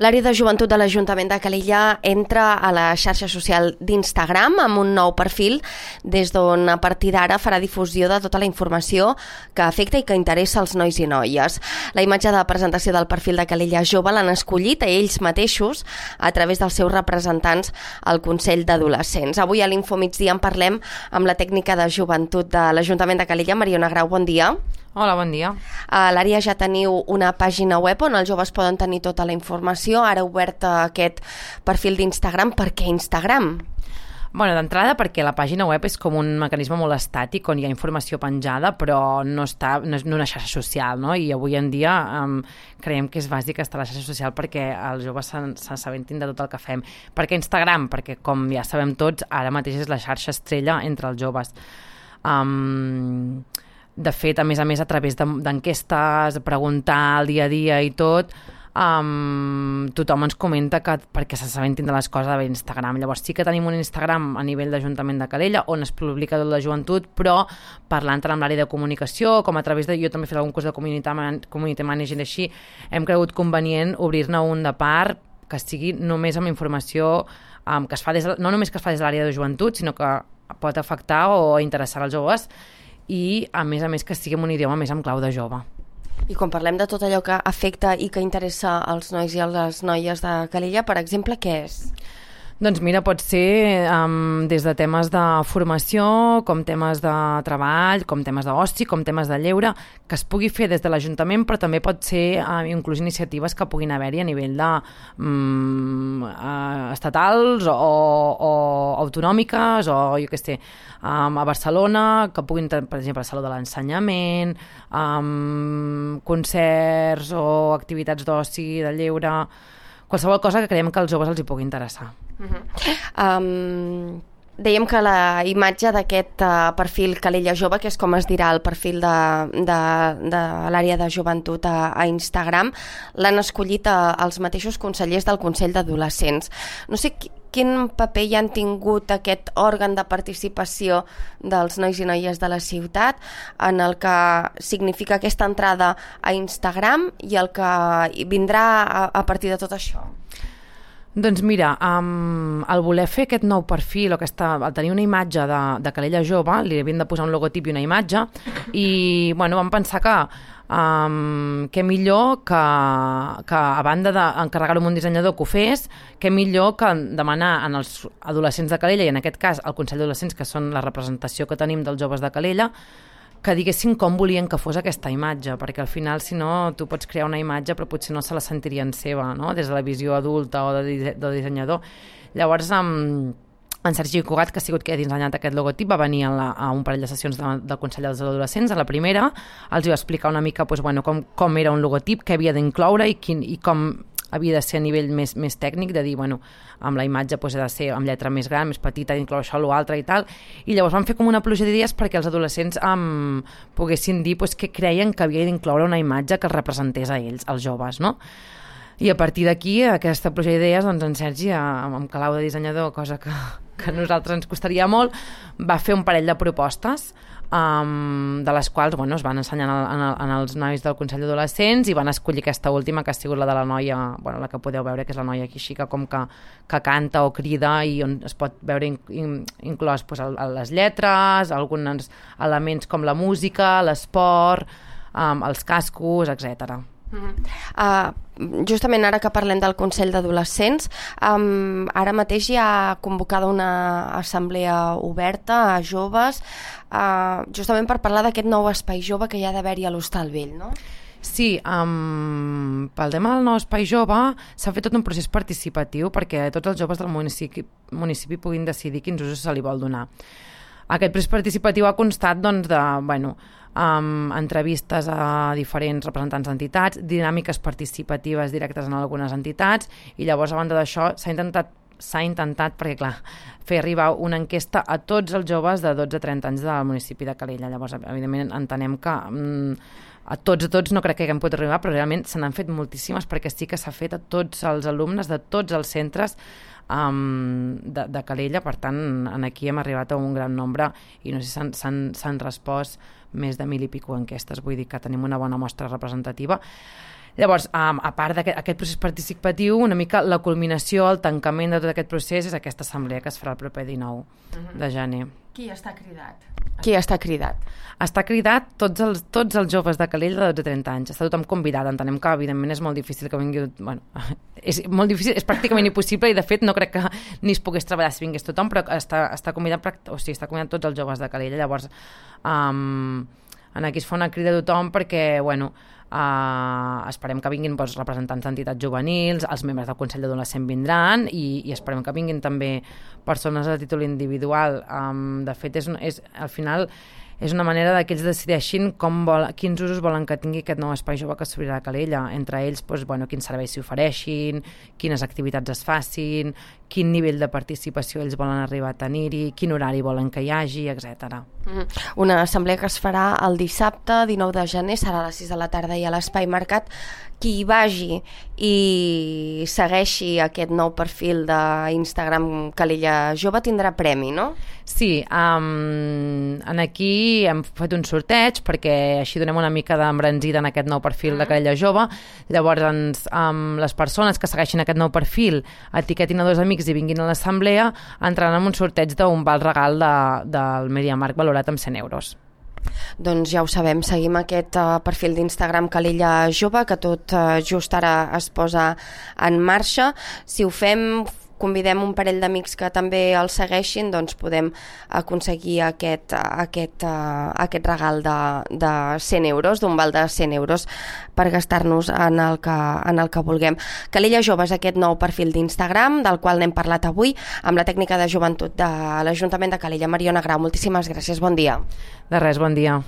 L'àrea de joventut de l'Ajuntament de Calella entra a la xarxa social d'Instagram amb un nou perfil des d'on a partir d'ara farà difusió de tota la informació que afecta i que interessa als nois i noies. La imatge de presentació del perfil de Calella Jove l'han escollit a ells mateixos a través dels seus representants al Consell d'Adolescents. Avui a l'Infomigdia en parlem amb la tècnica de joventut de l'Ajuntament de Calella, Mariona Grau, bon dia. Hola, bon dia. A l'àrea ja teniu una pàgina web on els joves poden tenir tota la informació. Ara obert aquest perfil d'Instagram. Per què Instagram? Bueno, d'entrada perquè la pàgina web és com un mecanisme molt estàtic on hi ha informació penjada, però no és una xarxa social, no? I avui en dia creiem que és bàsic estar a la xarxa social perquè els joves s'assabentin de tot el que fem. Per què Instagram? Perquè, com ja sabem tots, ara mateix és la xarxa estrella entre els joves. De fet, a més, a través d'enquestes, preguntar el dia a dia i tot, tothom ens comenta que perquè s'assabentin de les coses de Instagram. Llavors sí que tenim un Instagram a nivell d'Ajuntament de Calella on es publica tot la joventut, però parlant tant amb l'àrea de comunicació com a través de... Jo també he fet algun curs de community management així, hem cregut convenient obrir-ne un de part que sigui només amb informació que es fa no només que es fa des de l'àrea de joventut, sinó que pot afectar o interessar als joves i, a més que sigui en un idioma més amb clau de jove. I quan parlem de tot allò que afecta i que interessa als nois i a les noies de Calella, per exemple, què és? Doncs mira, pot ser des de temes de formació, com temes de treball, com temes d'oci, com temes de lleure, que es pugui fer des de l'Ajuntament, però també pot ser inclús iniciatives que puguin haver-hi a nivell de estatals o autonòmiques, o jo què sé, a Barcelona, que puguin, per exemple, el Saló de l'Ensenyament, concerts o activitats d'oci, de lleure, qualsevol cosa que creiem que als joves els hi pugui interessar. Dèiem que la imatge d'aquest perfil Calella Jove, que és com es dirà el perfil de l'àrea de joventut a Instagram, l'han escollit els mateixos consellers del Consell d'Adolescents. No sé quin paper hi han tingut aquest òrgan de participació dels nois i noies de la ciutat en el que significa aquesta entrada a Instagram i el que vindrà a partir de tot això. Doncs mira, al voler fer aquest nou perfil, al tenir una imatge de Calella Jove, li havien de posar un logotip i una imatge, i bueno, vam pensar que millor que a banda d'encarregar-ho a un dissenyador que ho fes, que millor que demanar als adolescents de Calella, i en aquest cas al Consell d'Adolescents, que són la representació que tenim dels joves de Calella, que diguessin com volien que fos aquesta imatge, perquè al final, si no, tu pots crear una imatge però potser no se la sentirien seva, no? Des de la visió adulta o de dissenyador. Llavors, en Sergi Cugat, que ha sigut qui ha dissenyat aquest logotip, va venir a un parell de sessions del Consell dels Adolescents. A la primera els va explicar una mica com era un logotip, què havia d'incloure i com havia de ser a nivell més tècnic, de dir, amb la imatge ha de ser amb lletra més gran, més petita, d'incloure això, l'altre i tal. I llavors van fer com una pluja d'idees perquè els adolescents poguessin dir què creien que havia d'incloure una imatge que els representés a ells, als joves, no? I a partir d'aquí, aquesta pluja d'idees, doncs en Sergi, amb calau de dissenyador, cosa que a nosaltres ens costaria molt, va fer un parell de propostes de les quals es van ensenyar als nois del Consell d'Adolescents i van escollir aquesta última, que ha sigut la de la noia, la que podeu veure, que és la noia xica com que canta o crida i on es pot veure inclòs les lletres, alguns elements com la música, l'esport, els cascos, etc. Justament ara que parlem del Consell d'Adolescents, ara mateix hi ha convocada una assemblea oberta a joves, justament per parlar d'aquest nou espai jove que hi ha d'haver-hi a l'Hostal Vell, no? Sí, pel tema del nou espai jove s'ha fet tot un procés participatiu perquè tots els joves del municipi puguin decidir quins usos se li vol donar. Aquest procés participatiu ha constat entrevistes a diferents representants d'entitats, dinàmiques participatives directes en algunes entitats, i llavors a banda d'això s'ha intentat, perquè clar, fer arribar una enquesta a tots els joves de 12 a 30 anys del municipi de Calella. Llavors, evidentment, entenem que a tots no crec que haguem pogut arribar, però realment se n'han fet moltíssimes perquè sí que s'ha fet a tots els alumnes de tots els centres de Calella. Per tant, aquí hem arribat a un gran nombre i no sé si s'han respost més de 1.000 i pico enquestes, vull dir que tenim una bona mostra representativa. Llavors, a part d'aquest procés participatiu, una mica la culminació, el tancament de tot aquest procés és aquesta assemblea que es farà el proper 19 de gener. Qui està cridat? Qui està cridat? Està cridat tots els joves de Calella de 12 a 30 anys. Està tothom convidat. Entenem que, evidentment, és molt difícil que vingui... Bueno, és molt difícil, és pràcticament impossible i, de fet, no crec que ni es pogués treballar si vingués tothom, però està convidat, està convidat tots els joves de Calella. Llavors, aquí es fa una crida a tothom perquè, bueno, esperem que vinguin representants d'entitats juvenils, els membres del Consell d'Adolescent vindran i esperem que vinguin també persones a títol individual. De fet, al final és una manera que ells decideixin quins usos volen que tingui aquest nou espai jove que s'obrirà a Calella. Entre ells, quins serveis s'hi ofereixin, quines activitats es facin, quin nivell de participació ells volen arribar a tenir-hi, quin horari volen que hi hagi, etc. Una assemblea que es farà el dissabte 19 de gener, serà a les 6 de la tarda i a l'Espai Mercat. Qui hi vagi i segueixi aquest nou perfil d'Instagram Calella Jove tindrà premi, no? Sí, aquí hem fet un sorteig perquè així donem una mica d'embranzida en aquest nou perfil de Calella Jove. Llavors, les persones que segueixin aquest nou perfil etiquetin a 2 amics i vinguin a l'assemblea, entraran en un sorteig d'un val regal del MediaMarkt valorat amb 100 euros. Doncs ja ho sabem, seguim aquest perfil d'Instagram Calella Jove, que tot just ara es posa en marxa. Si ho fem, convidem un parell d'amics que també el segueixin, doncs podem aconseguir aquest regal de 100 euros, d'un val de 100 euros per gastar-nos en el que vulguem. Calella Jove és aquest nou perfil d'Instagram del qual n'hem parlat avui amb la tècnica de joventut de l'Ajuntament de Calella, Mariona Grau. Moltíssimes gràcies, bon dia. De res, bon dia.